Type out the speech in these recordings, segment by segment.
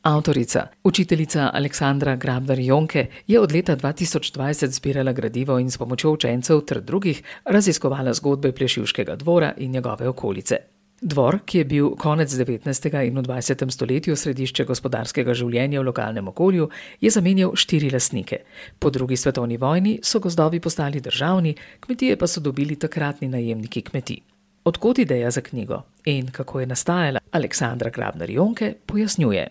Avtorica, učiteljica Aleksandra Grabnar-Jonke je od leta 2020 zbirala gradivo in s pomočjo učencev ter drugih raziskovala zgodbe Plešivškega dvora in njegove okolice. Dvor, ki je bil konec 19. in v 20. stoletju središče gospodarskega življenja v lokalnem okolju, je zamenjal 4 lastnike. Po drugi svetovni vojni so gozdovi postali državni, kmetije pa so dobili takratni najemniki kmetij. Od kod ideja za knjigo in kako je nastajala, Aleksandra Grabnar-Jonke pojasnjuje.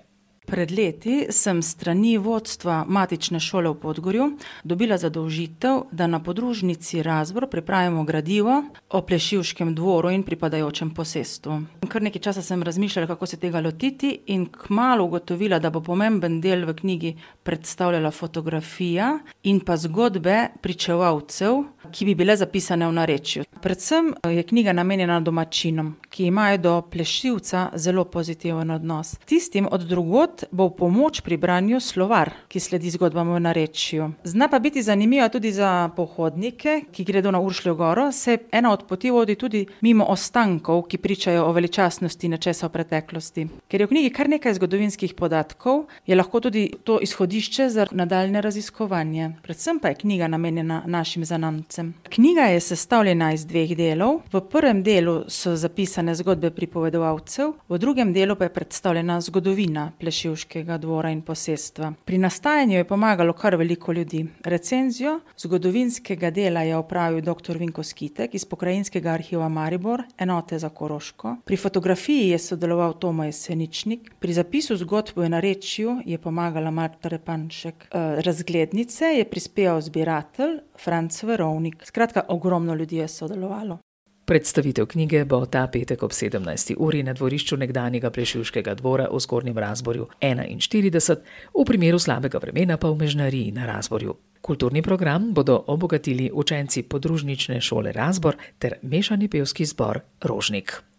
Pred leti sem s strani vodstva matične šole v Podgorju dobila zadolžitev, da na podružnici Razbor pripravimo gradivo o Plešivškem dvoru in pripadajočem posestvu. Kar nekaj časa sem razmišljala, kako se tega lotiti, in kmalu ugotovila, da bo pomemben del v knjigi predstavljala fotografija in pa zgodbe pričevalcev, ki bi bile zapisane v narečju. Predvsem je knjiga namenjena domačinom, ki imajo do Plešivca zelo pozitiven odnos. Tistim od drugod bo v pomoč pri branju slovar, ki sledi zgodbam v narečju. Zna pa biti zanimiva tudi za pohodnike, ki gredo na Uršljo goro, se ena od poti vodi tudi mimo ostankov, ki pričajo o veličastnosti nečesa v preteklosti. Ker je v knjigi kar nekaj zgodovinskih podatkov, je lahko tudi to izhodišče za nadaljne raziskovanje. Predvsem pa je knjiga namenjena našim zanamcem. Knjiga je sestavljena iz 2 delov. V prvem delu so zapisane zgodbe pripovedovalcev, v drugem delu pa je predstavljena zgodovina Plešivškega dvora in posestva. Pri nastajanju je pomagalo kar veliko ljudi. Recenzijo zgodovinskega dela je opravil dr. Vinko Skitek iz Pokrajinskega arhiva Maribor, enote za Koroško. Pri fotografiji je sodeloval Tomo Jeseničnik, pri zapisu zgodb v narečju je pomagala Marta Repanšek. Razglednice je prispeval zbiratelj Franc Verovnik. Skratka, ogromno ljudi je sodelovalo. Predstavitev knjige bo ta petek ob 17. uri na dvorišču nekdanjega Plešivškega dvora v Zgornjem Razborju 41, v primeru slabega vremena pa v Mežnariji na Razborju. Kulturni program bodo obogatili učenci podružnične šole Razbor ter mešani pevski zbor Rožnik.